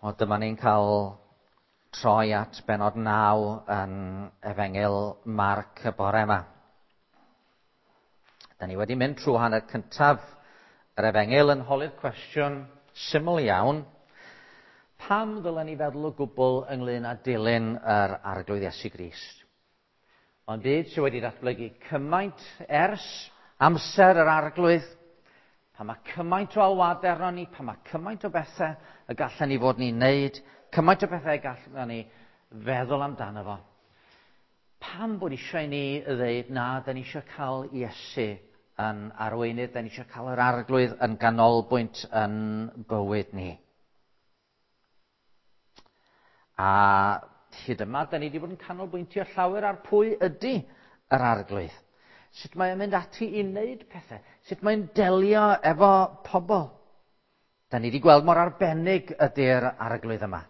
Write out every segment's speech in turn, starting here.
O, dyma ni'n cael troi at benod 9 yn Efengyl Marc y bore yma. Da ni wedi mynd trwy hanner cyntaf yr Efengyl yn holi'r cwestiwn syml iawn. Pam ddylen ni feddwl o gwbl ynglyn â dilyn yr Arglwydd Iesu Grist? Mae'n byd sydd wedi datblygu cymaint ers amser yr Arglwydd, pan mae cymaint o alwadau arno ni, pan mae cymaint o bethau y gallen ni fod ni'n neud, cymaint o bethau y gallen ni feddwl amdano fo. Pam bod eisiau ni ddeud na, da ni eisiau cael Iesu yn arweinydd, da ni eisiau cael yr Arglwydd yn ganolbwynt yn bywyd ni. A hyd yma, da ni wedi bod yn canolbwyntio llawer ar pwy ydy yr Arglwydd. Sut mae'n mynd ati i wneud pethau. Sut mae'n delio efo pobl. Da ni wedi gweld mor arbennig ydy'r Arglwydd yma.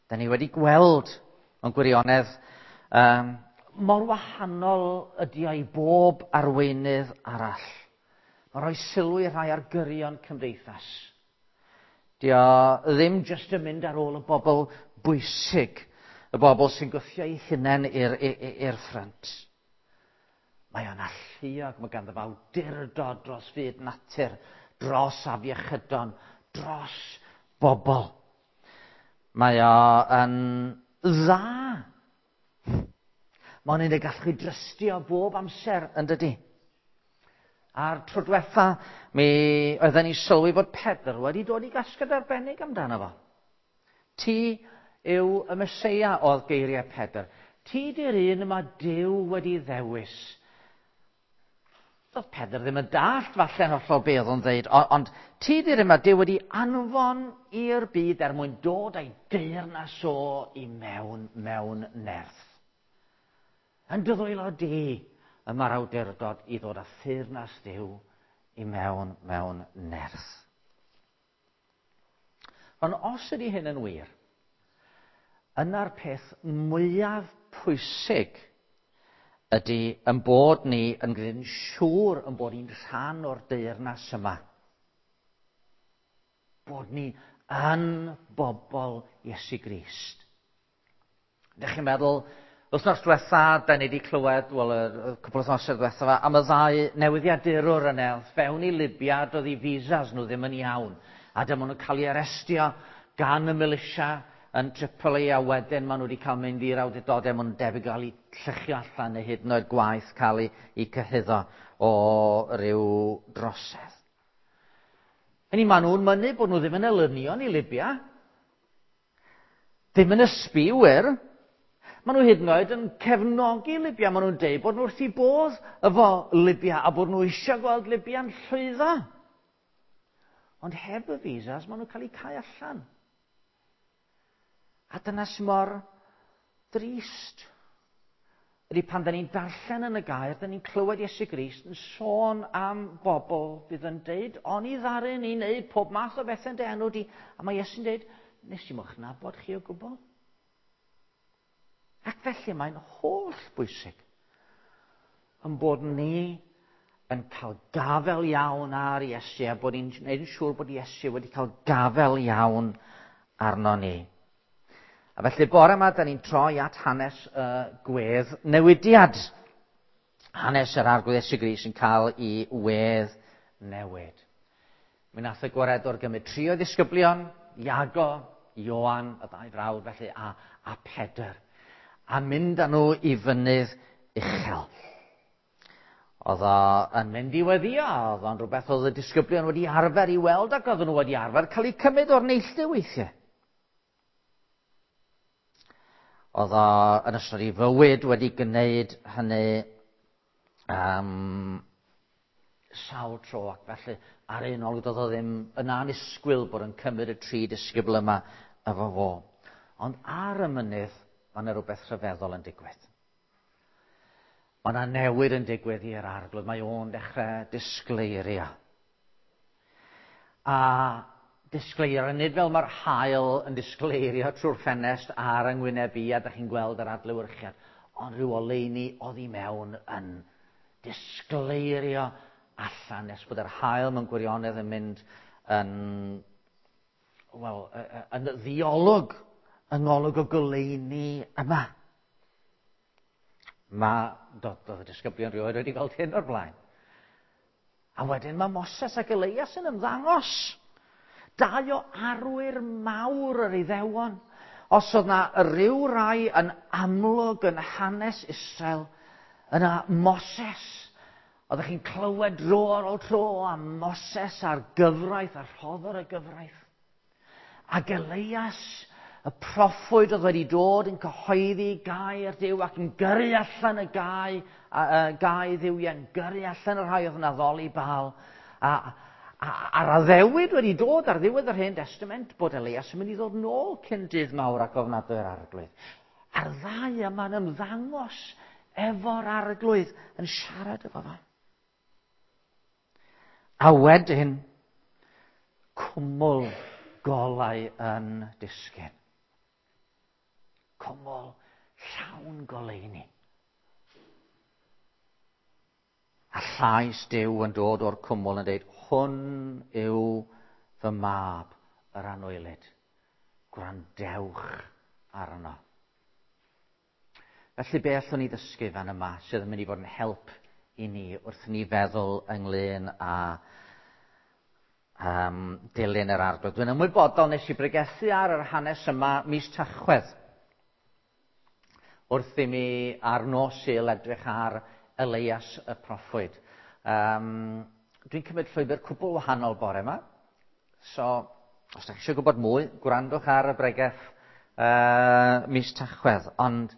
Da ni wedi gweld, mewn gwirionedd, mor wahanol ydy o i bob arweinydd arall. Mae'n rhoi sylw i rhai ar gyrion cymdeithas. Di o ddim jyst yn mynd ar ôl y bobl bwysig, y bobl sy'n gwthio eu hunain i'r ffrynt. Mae o'n alluog, mae ganddo fo awdurdod dros fyd natur, dros afiechydon, dros bobl. Mae o yn dda. Mae'n un y gallwch chi drystio bob amser, yn dydi? A'r tro diwetha, mi oedden ni sylwi fod Pedr wedi dod i gasgliad arbennig amdano fo. Ti yw y Meseia, oedd geiriau Pedr. Ti di'r un yma Duw wedi ddewis. Doedd Pedr ddim yn dallt falle'n hollol be oedd o'n ddeud, ond ti di'r un yma Duw wedi anfon i'r byd er mwyn dod â'i deyrnas o i mewn mewn nerth. Yn dy ddwylo di y mae'r awdurdod i ddod â theyrnas Dduw i mewn mewn nerth. Ond os ydy hyn yn wir, yna'r peth mwyaf pwysig ydy yn bod ni yn gwneud yn siŵr yn bod ni'n rhan o'r deyrnas yma. Bod ni yn bobl Iesu Grist. Ydych chi'n meddwl, wythnos diwetha, da ni wedi clywed, wel, y cwpl o wythnosau diwetha fa, am y ddau newyddiadurwr yna, oedd fewn i Libya, doedd eu visas nhw ddim yn iawn. A dyma nhw'n cael eu arestio gan y militia yn Tripoli, a wedyn maen nhw wedi cael mynd i'r awdurdodau, maen nhw'n debyg gael eu lluchio allan neu hyd yn oed gwaeth cael eu cyhuddo o ryw drosedd. Hynny, maen nhw'n mynnu bod nhw ddim yn elynion i Libya. Ddim yn ysbiwyr. Maen nhw hyd yn oed yn cefnogi Libya. Maen nhw'n deud bod nhw wrth eu bodd efo Libya a bod nhw eisiau gweld Libya'n llwyddo. Ond heb y visas, maen nhw'n cael eu cau allan. A dyna sy'n mor drist. Ydy pan da ni'n darllen yn y gair, da ni'n clywed Iesu Grist yn sôn am bobl fydd yn deud, oni ddaru ni wneud pob math o bethau yn dy enw di. A mae Iesu'n deud, nes i'm o'ch nabod chi o gwbl. Ac felly mae'n holl bwysig yn bod ni yn cael gafel iawn ar Iesu a bod ni'n gwneud yn siŵr bod Iesu wedi cael gafel iawn arno ni. A felly bore yma, da ni'n troi at hanes y gwedd newidiad. Hanes yr Arglwydd Iesu Grist yn cael ei wedd newid. Mi nath y gwaredwr gymryd tri o ddisgyblion, Iago, Ioan, y ddau frawd felly, a Pedr, a mynd â nhw i fynydd uchel. Oedd o yn mynd i weddio, oedd o'n rhywbeth oedd y disgyblion wedi arfer i weld ac oedden nhw wedi arfer cael eu cymryd o'r neilltu weithiau. Oedd o yn ystod ei fywyd wedi gwneud hynny sawl tro, ac felly ar un olwg doedd o ddim yn annisgwyl bod yn cymryd y tri disgybl yma efo fo. Ond ar y mynydd, mae yna rhywbeth rhyfeddol yn digwydd. Mae yna newid yn digwydd i'r Arglwydd. Mae o'n dechrau disgleirio. A disgleirio, nid fel mae'r haul yn disgleirio trwy'r ffenest ar yng ngwyneb i, a dych chi'n gweld yr adlewyrchiad, ond rhyw oleuni oddi mewn yn disgleirio allan nes bod yr haul mewn gwirionedd yn mynd yn wel, yn ddiolwg, yng ngolwg y goleuni yma. Mae, doedd y disgyblion rioed wedi gweld hyn o'r blaen. A wedyn mae Moses ac Elias yn ymddangos. Dau o arwyr mawr yr Iddewon. Os oedd na ryw rai yn amlwg yn hanes Israel, yna Moses. Oeddech chi'n clywed dro ar ôl tro am Moses a'r gyfraith a rhoddodd y gyfraith. Ac Elias, y proffwyd oedd wedi dod yn cyhoeddi gair Duw ac yn gyrru allan y gau, gau dduwiau, yn gyrru allan y rhai oedd yn addoli Baal. A'r addewid wedi dod ar ddiwedd yr Hen Testament bod Elias yn mynd i ddod nôl cyn dydd mawr ac ofnadwy'r Arglwydd. A'r ddau yma'n ymddangos efo'r Arglwydd yn siarad efo fo. A wedyn, cwmwl golau yn disgyn. Cwmwl llawn goleuni. A llais Duw yn dod o'r cwmwl yn dweud, hwn yw fy mab yr anwylyd. Gwrandewch arno. Felly be allwn ni ddysgu fan yma sydd yn mynd i fod yn help i ni wrth ni feddwl ynglyn â dilyn yr Arglwydd. Dwi'n ymwybodol nes i bregethu ar yr hanes yma mis Tachwedd. Wrth i mi ar nos Sul edrych ar Elias y proffwyd. Dwi'n cymryd llwybr cwbl wahanol bore yma. So, os ydych chi eisiau gwybod mwy, gwrandwch ar y bregeth mis Tachwedd. Ond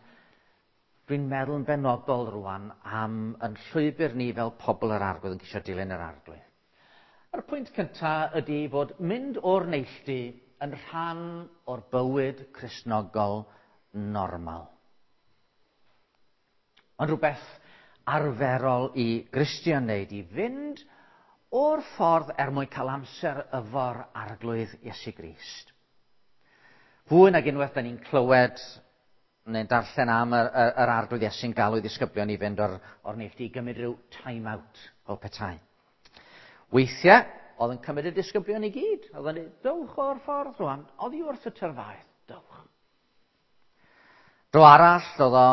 dwi'n meddwl yn benodol rwan am yn llwybr ni fel pobl yr Arglwydd yn ceisio dilyn yr Arglwydd. A'r pwynt cyntaf ydy fod mynd o'r neilltu yn rhan o'r bywyd Cristnogol normal. Ond rhywbeth arferol i Gristion wneud, i fynd o'r ffordd er mwyn cael amser efo'r Arglwydd Iesu Grist. Fwy nag unwaith da ni'n clywed neu'n darllen am yr Arglwydd Iesu'n galw i ddisgyblion i fynd o'r neilltu i gymryd rhyw time out fel petai. Weithiau, oedd yn cymryd y disgyblion i gyd. Oedd yn dweud, dowch o'r ffordd rwan, oddi wrth y tyrfaoedd, dowch. Dro arall, oedd o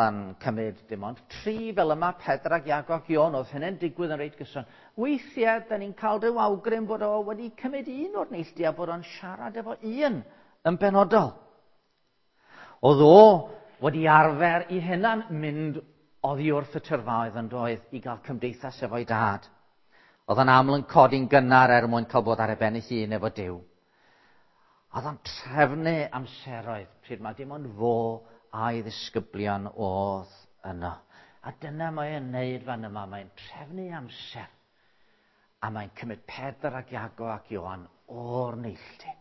yn cymryd dim ond 3 fel yma, Pedr ac Iago ac Ioan, oedd hynny'n digwydd yn reit gyson. Weithiau, da ni'n cael rhyw awgrym bod o wedi cymryd un o'r neilltu a bod o'n siarad efo un yn benodol. Oedd o wedi arfer i hunan mynd oddi wrth y tyrfaoedd yn doedd i gael cymdeithas efo'i dad. Oedd o'n aml yn codi'n gynnar er mwyn cael bod ar ei ben ei hun efo Duw. Oedd o'n trefnu amseroedd pryd mae dim ond fo a'i ddisgyblion oedd yno. A dyna mae'n neud fan yma, mae'n trefnu amser. A mae'n cymryd Pedr ac Iago ac Ioan o'r neilltu.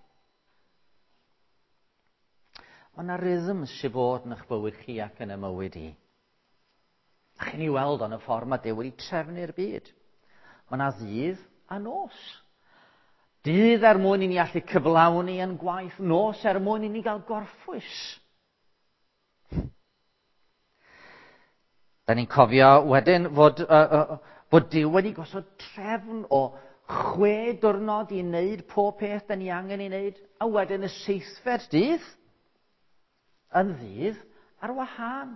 Mae yna rhythm sydd fod yn eich bywyd chi ac yn y mywyd i. A chi'n ei weld o'n y ffordd mae Duw wedi trefnu'r byd. Mae yna ddydd a nos. Dydd er mwyn i ni allu cyflawni yn gwaith, nos er mwyn i ni gael gorffwys. Da ni'n cofio wedyn fod Duw wedi gosod trefn o 6 diwrnod i wneud pob peth da ni angen ei wneud, a wedyn y 7fed dydd yn ddydd ar wahân.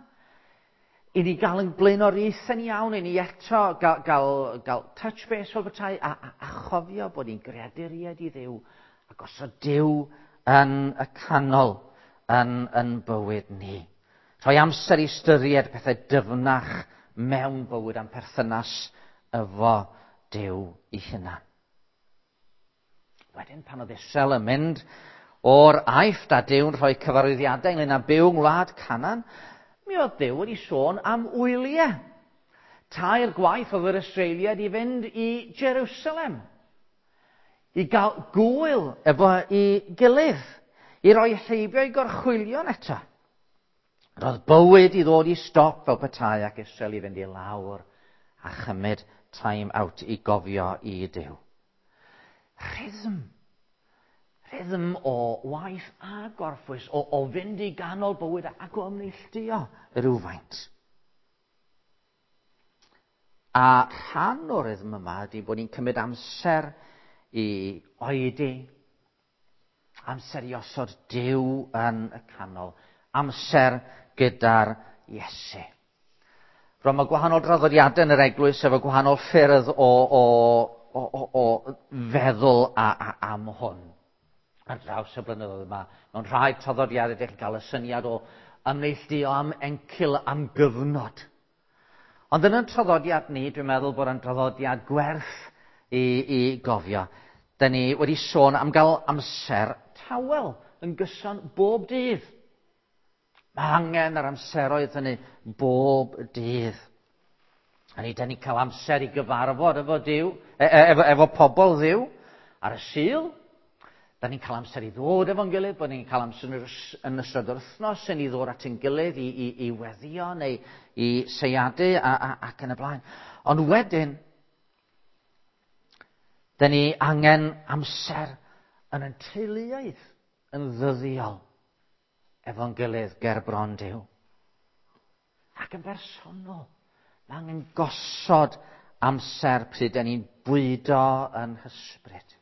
I ni gael yn blaenoriaethau'n iawn, i ni eto gael touch base fel petai, a chofio bod ni'n greaduriaid i Dduw, a gosod Duw yn y canol yn bywyd ni. Rhoi amser i ystyried pethau dyfnach mewn bywyd am perthynas efo Duw ei hunan. Wedyn pan oedd Israel yn mynd o'r Aifft a Duw'n rhoi cyfarwyddiadau ynglyn â byw yng ngwlad Canaan, mi oedd Duw wedi sôn am wyliau. 3 gwaith oedd yr Israeliaid i fynd i Jerusalem, i gael gwyl efo i gilydd, i roi heibio i gorchwylion eto. Roedd bywyd i ddod i stop fel petai ac Israel i fynd i lawr a chymryd time out i gofio i Duw. Rhythm. Rhythm o waith a gorffwys, o fynd i ganol bywyd ac o ymneilltuo rhywfaint. A rhan o'r rhythm yma ydy bod ni'n cymryd amser i oedi Amser i osod Duw yn y canol. Amser gyda'r Iesu. Rwan, mae gwahanol draddodiadau yn yr eglwys efo gwahanol ffyrdd o feddwl am hwn. Ar draws y blynyddoedd yma, mewn rhai traddodiadau ydych chi'n cael y syniad o ymneilltuo am encil am gyfnod. Ond yn y traddodiad ni, dwi'n meddwl bod yn draddodiad gwerth i gofio. Da ni wedi sôn am gael amser tawel yn gyson bob dydd. Mae angen yr amseroedd hynny bob dydd. A ni, da ni'n cael amser i gyfarfod efo Duw, efo pobl Dduw ar y Sul. Da ni'n cael amser i ddod efo'n gilydd, bod ni'n cael amser yn ystod yr wythnos i ni ddod at ein gilydd i weddio neu i seiadu ac yn y blaen. Ond wedyn, da ni angen amser yn ein teuluoedd yn ddyddiol efo'n gilydd ger bron Duw. Ac yn bersonol, mae angen gosod amser pryd da ni'n bwydo yn hysbryd.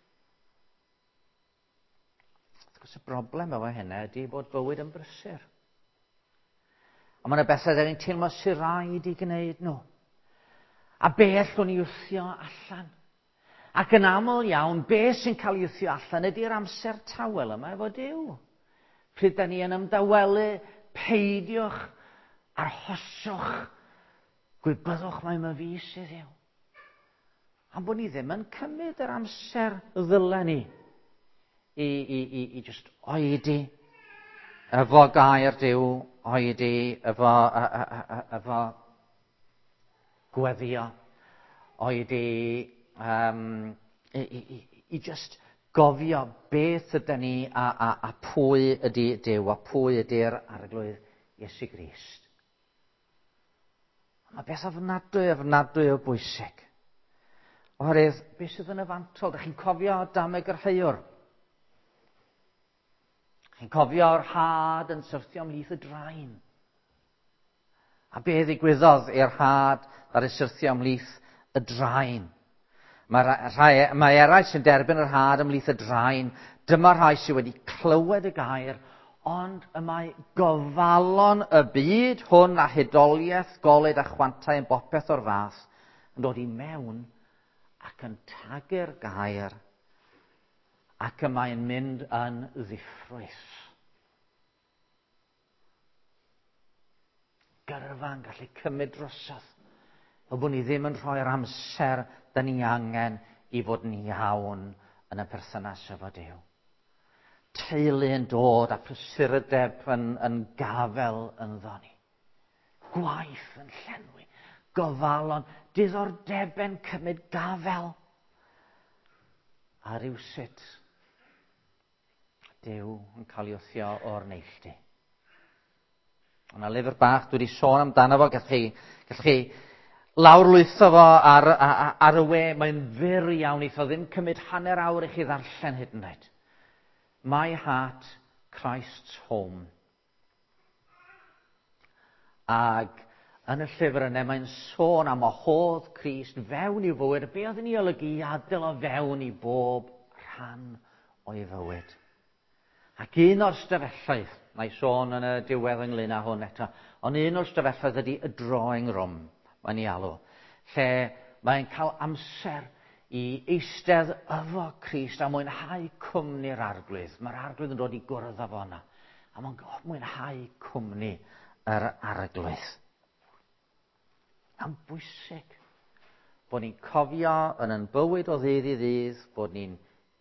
Wrth gwrs, y broblem efo hynna ydy bod bywyd yn brysur. A mae yna bethau da ni'n teimlo sy'n rhaid i gwneud nhw. A be allwn ni wthio allan? Ac yn aml iawn, be sy'n cael ei wthio allan ydy'r amser tawel yma efo Duw. Pryd da ni yn ymdawelu, peidiwch, arhoswch, gwybyddwch mai ma fi sydd yw. Am bod ni ddim yn cymryd yr amser ddylen ni i just oedi efo gair Duw, oedi efo gweddio, oedi i just gofio beth ydyn ni a pwy ydy Duw a pwy ydy'r Arglwydd Iesu Grist. Mae beth ofnadwy o bwysig. Oherwydd, beth sydd yn y fantol? Dych chi'n cofio dameg yr heuwr? Chi'n cofio'r had yn syrthio ymhlith y drain? A be ddigwyddodd i'r had ar ei syrthio ymhlith y drain? Mae eraill sy'n derbyn yr had ymhlith y drain. Dyma rhai sydd wedi clywed y gair, ond y mae gofalon y byd hwn a hudoliaeth, golud a chwantau yn bopeth o'r fath yn dod i mewn ac yn tagu'r gair ac y mae'n mynd yn ddiffrwyth. Gyrfa'n gallu cymryd drosodd. Fel bod ni ddim yn rhoi'r amser da ni angen i fod yn iawn yn y perthynas efo Duw. Teulu yn dod a prysurdeb yn gafel ynddo ni. Gwaith yn llenwi, gofalon, diddordebau'n cymryd gafel. A rywsut, Duw yn cael ei wthio o'r neilltu. Yna lyfr bach dwi wedi sôn amdano fo, gallwch chi lawrlwytho fo ar y we, mae'n fyr iawn, eith o ddim cymryd hanner awr i chi ddarllen hyd yn oed. My Heart, Christ's Home. Ac yn y llyfr yna mae'n sôn am wahodd Crist fewn i'w fywyd, a be oedd yn ei olygu i adael o fewn i bob rhan o'i fywyd. Ac un o'r stafelloedd, mae sôn yn y diwedd ynglyn â hwn eto, ond un o'r stafelloedd ydy y drawing room, mae'n ei alw, lle mae'n cael amser i eistedd efo Crist a mwynhau cwmni'r Arglwydd. Mae'r Arglwydd yn dod i gwrdd â fo yna, a mae'n mwynhau cwmni yr Arglwydd. Mae'n bwysig bod ni'n cofio yn ein bywyd o ddydd i ddydd bod ni'n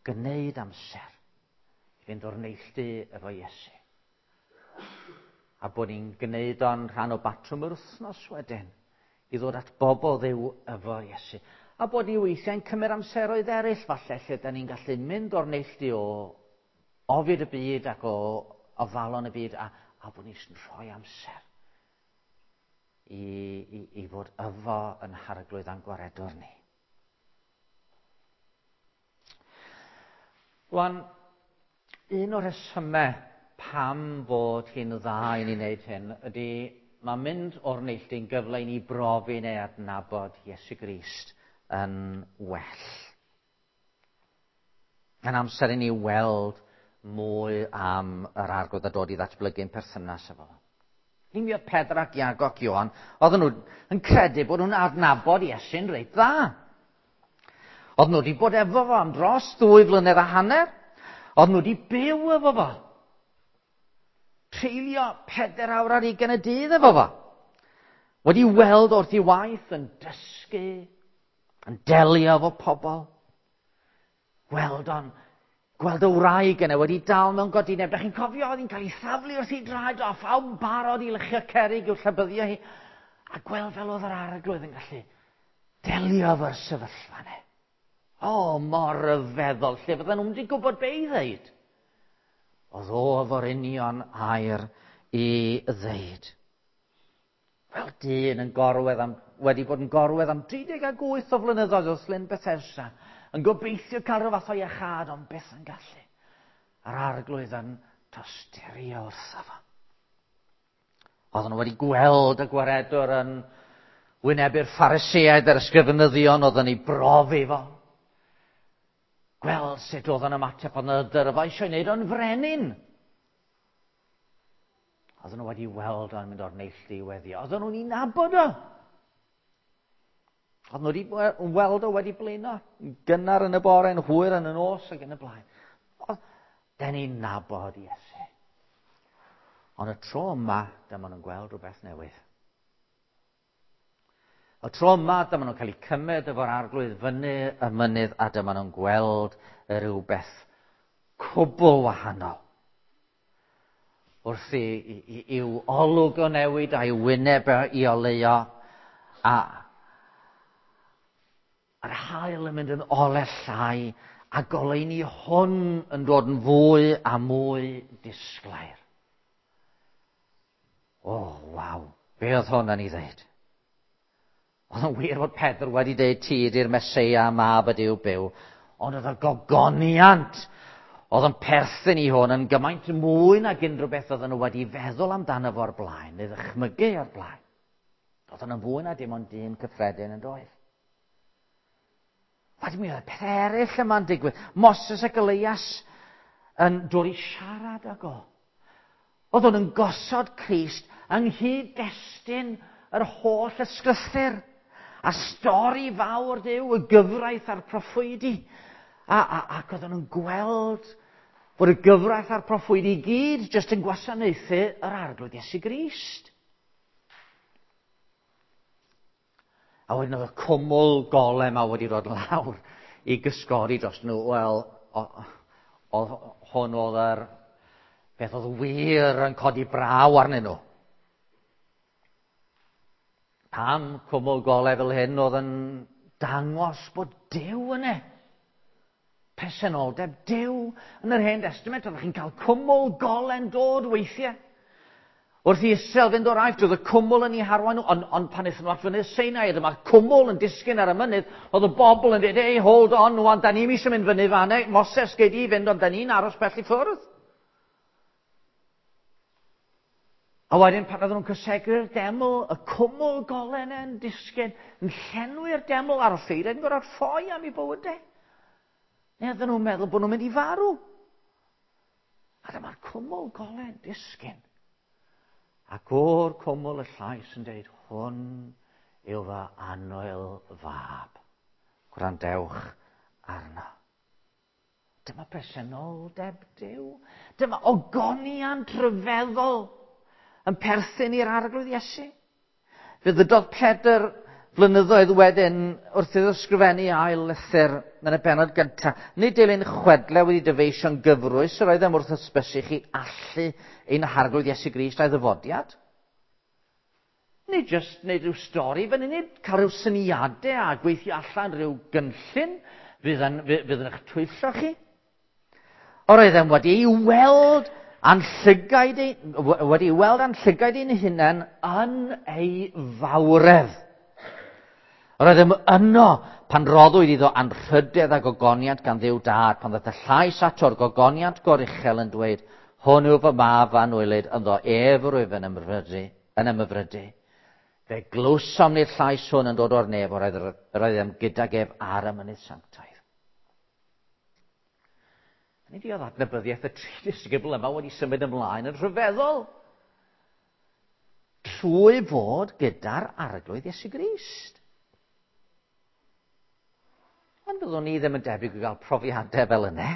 gwneud amser i fynd o'r neilltu efo Iesu. A bod ni'n gwneud o'n rhan o batrwm yr wythnos wedyn i ddod at bobl Dduw efo Iesu. A bod ni weithiau'n cymryd amseroedd eraill falle lle da ni'n gallu mynd o'r neilltu o ofid y byd ac o ofalon y byd a bod ni'n rhoi amser i fod efo yn Harglwydd a'n gwaredwr ni. Rwan, un o'r rhesymau pam fod hi'n dda i ni wneud hyn ydy mae mynd o'r neilltu'n gyfle i ni brofi neu adnabod Iesu Grist yn well. Yn amser i ni weld mwy am yr Arglwydd a dod i ddatblygu'n perthynas efo fo. Mi oedd Pedr ac Iago ac Ioan, oedden nhw yn credu bod nhw'n adnabod Iesu'n reit dda. Oedden nhw wedi bod efo fo am dros 2 flynedd a hanner. Oedden nhw wedi byw efo fo. Treulio 4 awr ar 20 y dydd efo fo. Wedi weld wrth ei waith yn dysgu, yn delio efo pobl. Gweld o'n gweld y wraig yna wedi dal mewn godineb. Da chi'n cofio, oedd hi'n cael ei thaflu wrth ei draed o, a phawb yn barod i lychio cerrig i'w llabyddio hi. A gweld fel oedd yr Arglwydd yn gallu delio efo'r sefyllfa yna. O, mor ryfeddol, lle fydden nhw'n wedi gwybod be i ddeud. Oedd o efo'r union air i ddeud. Fel dyn yn gorwedd am, wedi bod yn gorwedd am 38 o flynyddoedd wrth Lyn Bethesda, yn gobeithio cael rhyw fath o iachâd, ond byth yn gallu. A'r Arglwydd yn tosturio wrtho fo. Oedden nhw wedi gweld y gwaredwr yn wynebu'r Phariseaid a'r ysgrifenyddion oedd yn ei brofi fo. Gweld sut oedd yn ymateb, oedd yna dyrfa eisiau wneud o'n frenin. Oedden nhw wedi weld o'n mynd o'r neilltu i weddio. Oedden nhw'n ei nabod o. Oedden nhw wedi weld o wedi blino, gynnar yn y bore, yn hwyr yn y nos ac yn y blaen. Den ni'n nabod Iesu. Ond y tro yma, dyma nhw'n gweld rhywbeth newydd. Y tro yma, dyma nhw'n cael eu cymryd efo'r Arglwydd fyny y mynydd a dyma nhw'n gweld rhywbeth cwbl wahanol. Wrth i'w olwg o newid a'i wyneb i oleuo, a a'r haul yn mynd yn ole llai, a goleuni hwn yn dod yn fwy a mwy disglair. O, waw, be oedd hwn yn ei ddeud? Oedd yn wir fod Pedr wedi deud ti ydy'r Meseia, mab y Duw byw, ond oedd y gogoniant oedd yn perthyn i hwn yn gymaint mwy nag unrhyw beth oedden nhw wedi feddwl amdano fo'r blaen, neu ddychmygu o'r blaen. Oedd yn fwy na dim ond dyn cyffredin yn doedd. Wedyn mi oedd y peth eraill yma'n digwydd. Moses ac Elias yn dod i siarad ag o. Oedd hwn yn gosod Crist yng nghyd-destun yr holl ysgrythur. A stori fawr Duw, y gyfraith a'r proffwydi. Ac oedden nhw'n gweld bod y gyfraith a'r proffwydi i gyd jyst yn gwasanaethu yr Arglwydd Iesu Grist. A wedyn oedd y cwmwl gole yma wedi dod lawr i gysgodi dros nhw. Wel, oedd hwn oedd yr beth oedd wir yn codi braw arnyn nhw. Pam cwmwl gole fel hyn oedd yn dangos bod Duw yna. Presenoldeb Duw. Yn yr Hen Testament, oeddech chi'n cael cwmwl gole'n dod weithiau. Wrth i Israel fynd o'r Aifft, oedd y cwmwl yn ei harwain nhw, ond pan aethon nhw at fynydd Sinai, dyma'r cwmwl yn disgyn ar y mynydd, oedd y bobl yn dweud, hey, hold on, wan, da ni'm eisiau mynd fyny fan, Moses, gei di fynd, ond da ni'n aros bell i ffwrdd. A wedyn pan oedden nhw'n cysegru'r deml, y cwmwl golen yn disgyn, yn llenwi'r deml a'r offeiriaid yn gorfod ffoi am eu bywydau. Neu oedden nhw'n meddwl bod nhw'n mynd i farw. A dyma'r cwmwl golen disgyn. Ac o'r cwmwl y llais yn dweud, hwn yw fy annwyl fab. Gwrandewch arno. Dyma presenoldeb Duw. Dyma ogoniant rhyfeddol yn perthyn i'r Arglwydd Iesu. Fe ddydodd Pedr flynyddoedd wedyn wrth iddo ysgrifennu ail lythyr yn y bennod gyntaf. Nid dilyn chwedle wedi dyfeisio'n gyfrwys yr oeddem wrth hysbysu chi allu ein Harglwydd Iesu Grist a'i ddyfodiad. Nid jyst wneud rhyw stori fan hyn, nid cael rhyw syniadau a gweithio allan rhyw gynllun fydd yn, fydd yn eich twyllo chi. Yr oeddem wedi ei weld a'n llygaid ein, wedi ei weld a'n llygaid ein hunain yn ei fawredd. Yr oeddem yno pan roddwyd iddo anrhydedd a gogoniant gan Dduw Dad, pan ddaeth y llais ato'r gogoniant goruchel yn dweud, hwn yw fy mab anwylyd, ynddo ef yr wyf yn ymhyfrydu. Yn ymhyfrydu. Fe glywsom ni'r llais hwn yn dod o'r nef, yr oeddem gydag ef ar y mynydd sanctaidd. Nid oedd adnabyddiaeth y tri disgybl yma wedi symud ymlaen yn rhyfeddol. Trwy fod gyda'r Arglwydd Iesu Grist. Ond byddwn ni ddim yn debyg i gael profiadau fel yna.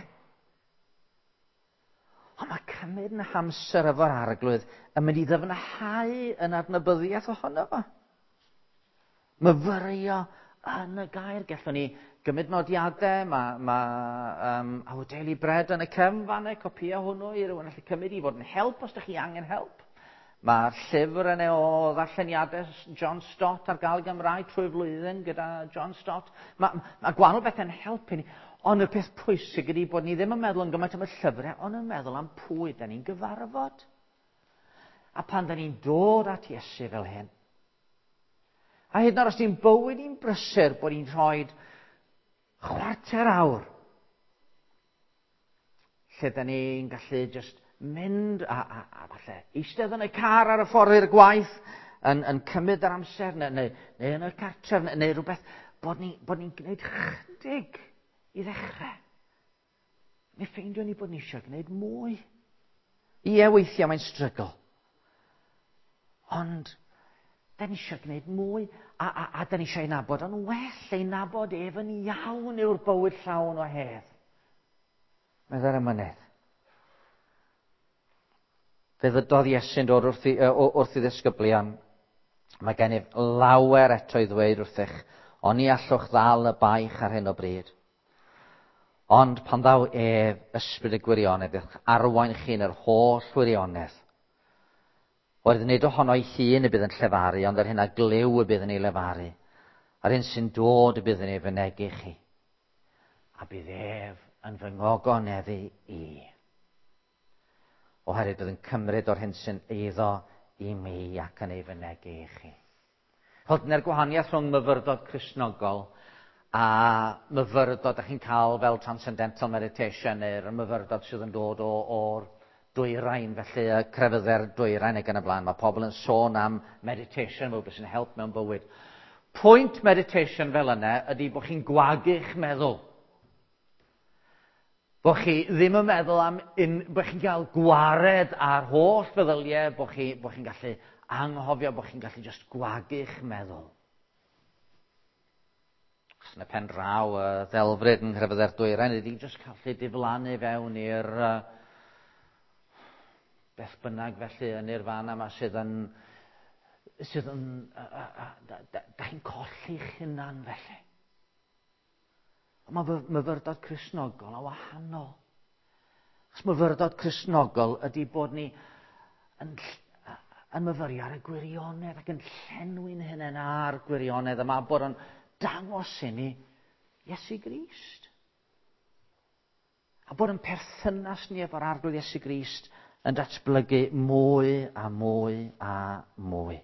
Ond mae cymryd yn hamser efo'r Arglwydd yn mynd i ddyfnhau yn adnabyddiaeth ohono fo. Myfyrio yn y gair. Gallwn ni gymryd nodiadau, mae Our Daily Bread yn y cefn fanna, copia hwnnw i rywun allu cymryd i fod yn help os ydych chi angen help. Mae'r llyfr yna o ddarlleniadau John Stott ar gael Gymraeg trwy flwyddyn gyda John Stott. Mae gwahanol bethau'n helpu ni. Ond y peth pwysig ydy bod ni ddim yn meddwl yn gymaint am y llyfrau, ond yn meddwl am pwy da ni'n gyfarfod. A pan da ni'n dod at Iesu fel hyn, a hyd yn oed os ni'n bywyd i'n brysur bod ni'n rhoi chwarter awr lle da ni'n gallu just mynd a falle eistedd yn y car ar y ffordd i'r gwaith yn cymryd yr amser neu yn y cartref neu rhywbeth, bod ni'n ni gwneud chydig i ddechrau. Mi ffeindio ni bod ni eisiau gwneud mwy. Ie, weithiau mae'n strygl. Ond da ni eisiau gwneud mwy a da ni eisiau ei nabod yn well, ei nabod ef yn iawn yw'r bywyd llawn o hedd. Meddai'r emynydd. Fe ddydodd Iesu'n dod wrth ei ddisgyblion. Mae gennyf lawer eto i ddweud wrthych, ond ni allwch ddal y baich ar hyn o bryd. Ond pan ddaw ef, ysbryd y gwirionedd, eich arwain chi yn yr holl wirionedd. Oherwydd nid ohono ei hun y bydd yn llefaru, ond yr hyn a glyw y bydd yn ei lefaru. A'r hyn sy'n dod y bydd yn ei fynegi chi. A bydd ef yn fy ngogoneddu i. Oherwydd bydd yn cymryd o'r hyn sy'n eiddo i mi ac yn ei fynegi i chi. Wel, dyna'r gwahaniaeth rhwng myfyrdod Cristnogol a myfyrdod ydych chi'n cael fel transcendental meditation neu'r myfyrdod sydd yn dod o'r dwyrain, felly y crefyddau'r dwyrain ac yn y blaen. Mae pobl yn sôn am meditation fel beth sy'n help mewn bywyd. Pwynt meditation fel yna ydy bod chi'n gwagu'ch meddwl. Bod chi ddim yn meddwl am, bod chi'n cael gwared ar holl feddyliau, bod chi'n gallu anghofio, bod chi'n gallu just gwagu'ch meddwl. Achos yn y pen draw, y ddelfryd yng nghrefyddau'r dwyrain ydy just cael diflannu fewn i'r beth bynnag felly yn i'r fan yma sydd yn da chi'n colli'ch hunan felly. Ond mae myfyrdod Cristnogol yn wahanol. Achos myfyrdod Cristnogol ydy bod ni yn myfyrio ar y gwirionedd ac yn llenwi'n hunain ar gwirionedd yma, bod yn dangos i ni Iesu Grist. A bod yn perthynas ni efo'r Arglwydd Iesu Grist yn datblygu mwy a mwy a mwy.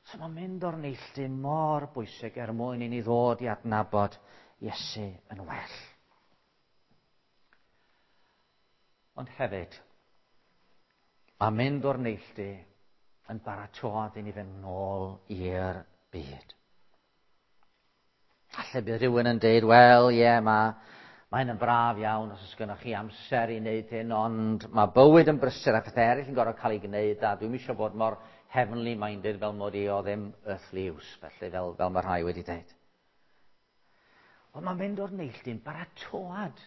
So mae'n mynd o'r neilltu mor bwysig er mwyn i ni ddod i adnabod Iesu yn well. Ond hefyd, mae mynd o'r neilltu yn baratoad i ni fynd nôl i'r byd. Falle bydd rhywun yn deud, wel, ie, mae'n yn braf iawn os oes gennych chi amser i wneud hyn, ond mae bywyd yn brysur a phethau eraill yn gorfod cael ei gwneud, a dwi'm eisiau bod mor heavenly minded fel mod i o ddim earthly use, felly fel mae rhai wedi dweud. Ond mae'n mynd o'r neilltu'n baratoad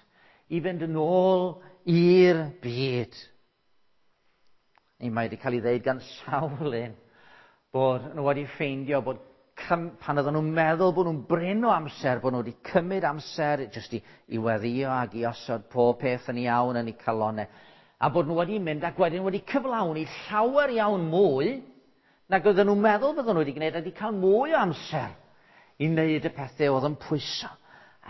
i fynd yn ôl i'r byd. Mae wedi cael ei ddeud gan sawl un bod nhw wedi ffeindio bod pan oedden nhw'n meddwl bod nhw'n brin o amser, bod nhw wedi cymryd amser jyst i weddïo ac i osod pob peth yn iawn yn eu calonnau, a bod nhw wedi mynd ac wedyn wedi cyflawni llawer iawn mwy nag oedden nhw'n meddwl bydden nhw wedi gwneud, a wedi cael mwy o amser i wneud y pethau oedd yn pwyso,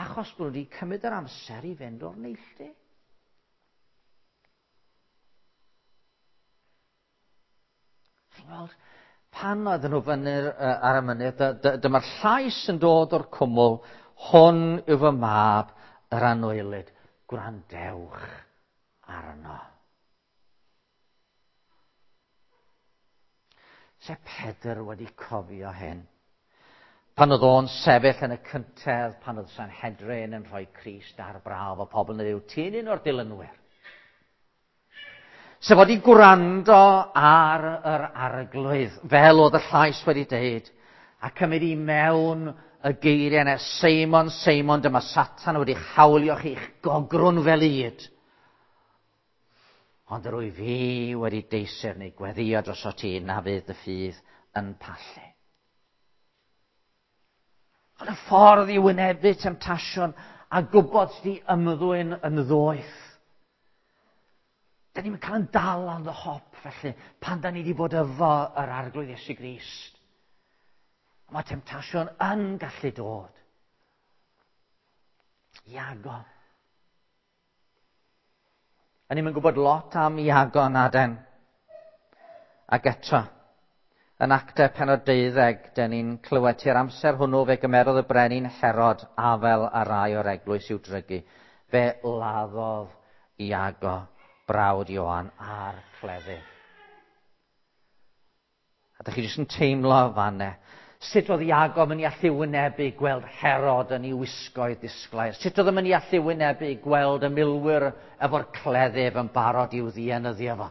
achos bod nhw wedi cymryd yr amser i fynd o'r neilltu. Chi'n gweld, pan oedden nhw fyny ar y mynydd, dyma'r llais yn dod o'r cwmwl, hwn yw fy mab, yr anwylyd, gwrandewch arno. Se Pedr wedi cofio hyn, Pan oedd o'n sefyll yn y cyntedd, pan oedd Sanhedrin yn rhoi Crist ar brawf, o pobl yn dweud, ti'n un o'r dilynwyr. Sef wedi gwrando ar yr arglwydd, fel oedd y llais wedi deud, a cymryd i mewn y geiriau yna, Seimon, Seimon, dyma Satan wedi hawlio chi'ch gogrwn fel ŷd. Ond yr wyf fi wedi deiseb neu gweddio droso ti na fydd dy ffydd yn pallu. Ond y ffordd i wynebu temtasiwn a gwybod sut i ymddwyn yn ddoeth. Da ni'n cael yn dal on the hop, felly, pan da ni wedi bod efo yr Arglwydd Iesu Grist. Mae temtasiwn yn gallu dod. Iago. A ni'n gwybod lot am Iago na den. Ac eto, yn Actau pennod 12, dyn ni'n clywed tua'r amser hwnnw fe gymerodd y brenin Herod afel ar rai o'r eglwys i'w drygu. Fe laddodd Iago, brawd Ioan, a'r cleddyf. A dych chi jyst yn teimlo fanne. Sut oedd Iago yn mynd i allu wynebu gweld Herod yn ei wisgoedd disglair? Sut oedd yn mynd i allu wynebu gweld y milwyr efo'r cleddyf yn barod i'w ddienyddio fo?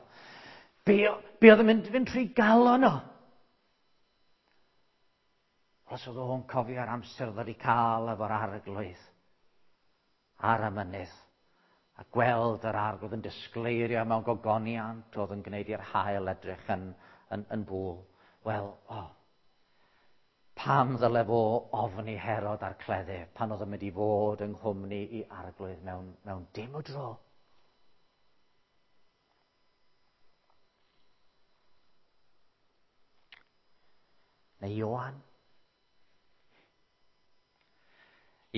Be oedd yn mynd fynd trwy galon o? Os oedd o'n cofio'r amser oedd wedi cael efo'r arglwydd ar y mynydd a gweld yr arglwydd yn disgleirio mewn gogoniant oedd yn gwneud i'r haul edrych yn bŵl. Wel, pam ddyle fo ofni Herod a'r cleddyf pan oedd yn mynd i fod yng nghwmni i arglwydd mewn dim o dro? Neu Ioan?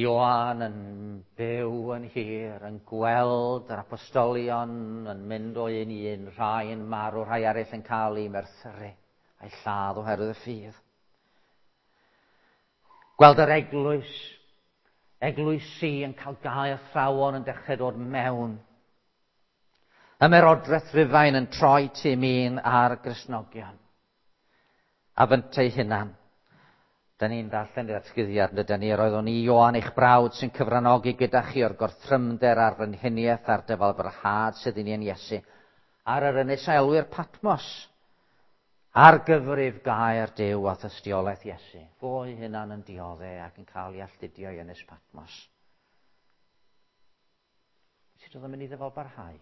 Ioan yn byw yn hir, yn gweld yr apostolion yn mynd o un i un, rhai yn marw, rhai eraill yn cael eu merthyru a'i lladd oherwydd y ffydd. Gweld yr eglwys, eglwysi yn cael gau athrawon yn dechrau dod mewn. Ymerodraeth Rufain yn troi tu min ar Gristnogion. A fyntau hunan. Da ni'n darllen i'r atgyddiad, yn dydyn ni, yr oeddwn i Ioan eich brawd sy'n cyfranogi gyda chi o'r gorthrymder a'r frenhiniaeth a'r dyfalbarhad sydd i ni yn Iesu, ar yr ynys a elwir Patmos, ar gyfrif gair Duw a thystiolaeth Iesu. Fo ei hunan yn diodde ac yn cael ei alltudio i ynys Patmos. Sut oedd yn mynd i ddyfalbarhau?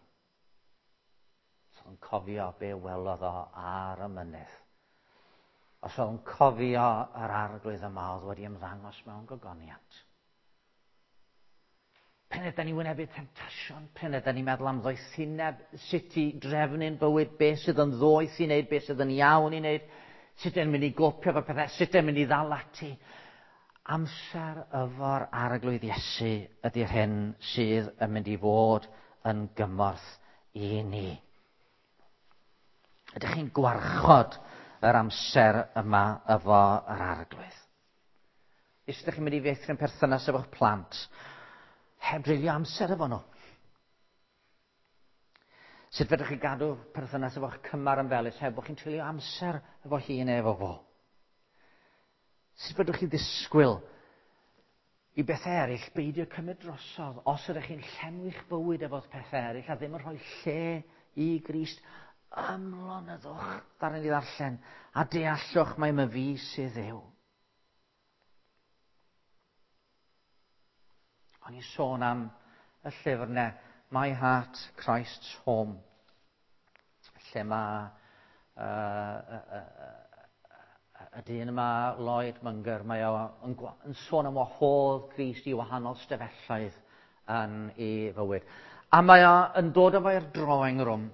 Os oedd yn cofio be welodd o ar y mynydd. Os oedd yn cofio yr arglwydd yma oedd wedi ymddangos mewn gogoniant. Pryd ydan ni'n wynebu temtasiwn, pryd ydan ni'n meddwl am ddoethineb, sut i drefnu'n bywyd, beth sydd yn ddoeth i wneud, beth sydd yn iawn i wneud, sut y'n mynd i gopio efo pethau, sut y'n mynd i ddal ati. Amser efo'r Arglwydd Iesu ydy'r hyn sydd yn mynd i fod yn gymorth i ni. Ydych chi'n gwarchod yr amser yma efo yr Arglwydd? Os ydych chi'n mynd i feithrin perthynas efo'ch plant, heb dreulio amser efo nhw. Sut fedrwch chi gadw perthynas efo'ch cymar yn felys heb bod chi'n treulio amser efo hi neu efo fo? Sut fedrwch chi ddisgwyl i bethau eraill beidio cymryd drosodd os ydych chi'n llenwi'ch bywyd efo pethau eraill a ddim yn rhoi lle i Grist? Ymlonyddwch, ddaru ni ddarllen, a deallwch mai myfi sydd Dduw. O'n i'n sôn am y llyfr yna, My Heart, Christ's Home, lle mae y dyn yma, Lloyd Munger, mae o yn sôn am wahodd Grist i wahanol stafelloedd yn ei fywyd. A mae o yn dod efo i'r drawing room.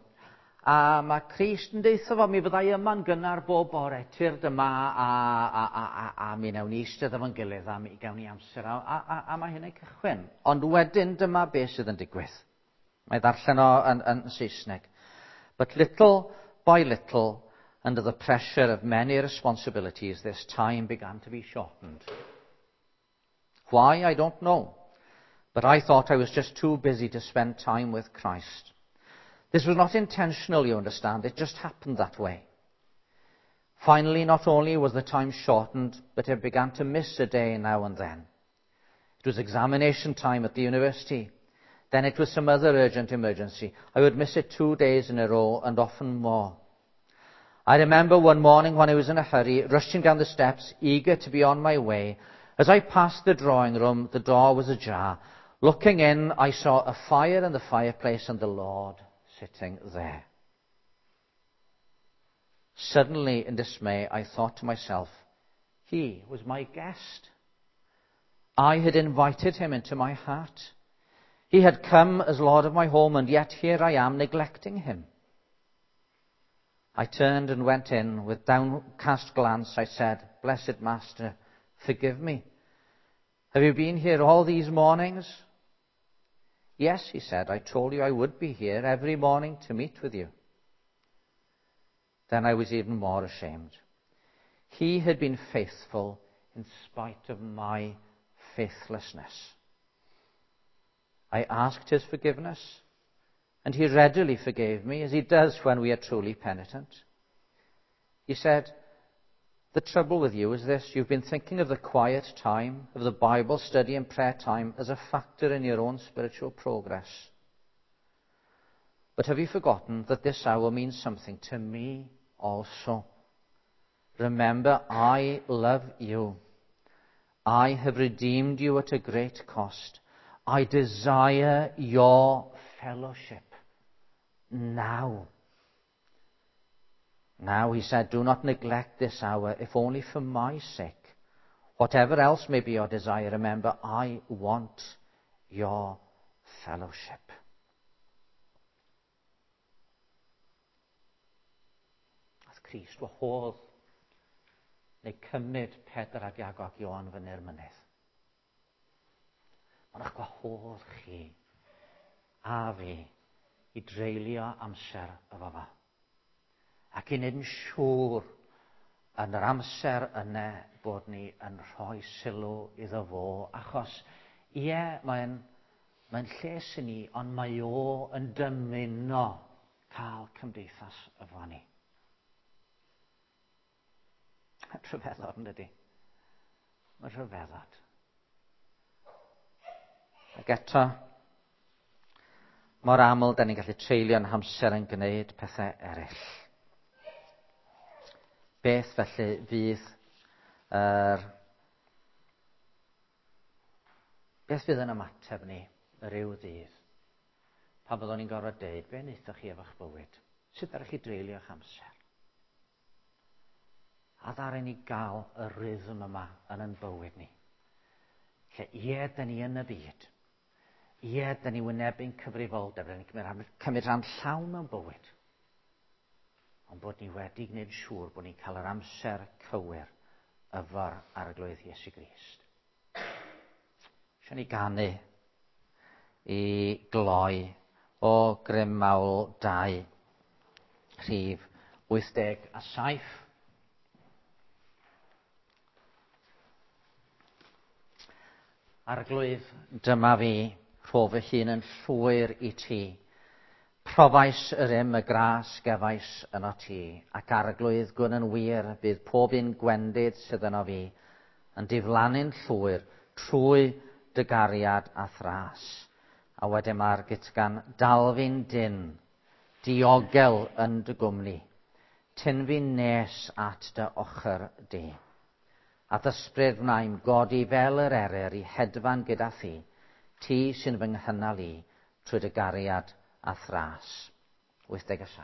A mae Crist yn deutha fo, mi fyddai yma'n gynnar bob bore, tyrd yma a mi wnawn ni eistedd efo'n gilydd a mi gawn ni amser a mae hynny'n cychwyn. Ond wedyn dyma beth sydd yn digwydd. Mae ddarllen o yn Saesneg. But little by little, under the pressure of many responsibilities, this time began to be shortened. Why, I don't know. But I thought I was just too busy to spend time with Christ. This was not intentional, you understand. It just happened that way. Finally, not only was the time shortened, but I began to miss a day now and then. It was examination time at the university. Then it was some other urgent emergency. I would miss it 2 days in a row and often more. I remember one morning when I was in a hurry, rushing down the steps, eager to be on my way. As I passed the drawing room, the door was ajar. Looking in, I saw a fire in the fireplace and the Lord sitting there. Suddenly, in dismay, I thought to myself, he was my guest. I had invited him into my heart. He had come as Lord of my home, and yet here I am neglecting him. I turned and went in. With downcast glance, I said, Blessed Master, forgive me. Have you been here all these mornings? Yes, he said, I told you I would be here every morning to meet with you. Then I was even more ashamed. He had been faithful in spite of my faithlessness. I asked his forgiveness, and he readily forgave me, as he does when we are truly penitent. He said, The trouble with you is this: you've been thinking of the quiet time, of the Bible study and prayer time as a factor in your own spiritual progress. But have you forgotten that this hour means something to me also? Remember, I love you. I have redeemed you at a great cost. I desire your fellowship now. Now, he said, do not neglect this hour, if only for my sake. Whatever else may be your desire, remember, I want your fellowship. Ath Crist wahodd neu cymryd Pedr ac Iago ac Ioan fyny'r mynydd. Mae'n eich gwahodd chi a fi i dreulio amser efo fo. Ac i wneud yn siŵr yn yr amser yna bod ni yn rhoi sylw iddo fo, achos ie, mae'n lles i ni, ond mae o yn dymuno cael cymdeithas efo ni. Rhyfeddod, yn dydi? Mae'n rhyfeddod. Ac eto, mor aml, da ni'n gallu treulio'n hamser yn gwneud pethau eraill. Beth felly fydd beth fydd yn ymateb ni yr yw ddydd? Pan byddwn ni'n gorfod deud, be wnaethoch chi efo'ch bywyd? Sut ddarech chi dreulio'ch amser? A ddaru ni gael y rhythm yma yn ein bywyd ni. Lle ie, da ni yn y byd. Ie, da ni wynebu'n cyfrifoldeb, da ni'n cymryd rhan llawn mewn bywyd. Ond bod ni wedi gwneud siŵr bod ni'n cael yr amser cywir efo'r Arglwydd Iesu Grist. Eisiau ni ganu i gloi o Grym Mawl 2, rhif 87. Arglwydd, dyma fi, rho fy hun yn llwyr i ti. Profais yr im y gras gefais yno ti, ac Arglwydd gwn yn wir bydd pob un gwendid sydd yno fi yn diflannu'n llwyr trwy dy gariad a thras. A wedyn mae'r gytgan dalfi'n dyn, diogel yn dy gwmni, tyn fi'n nes at dy ochr di. A ysbryd wnaim godi fel yr eryr i hedfan gyda thi, ti sy'n fy nghynnal i trwy dy gariad a thras. 87.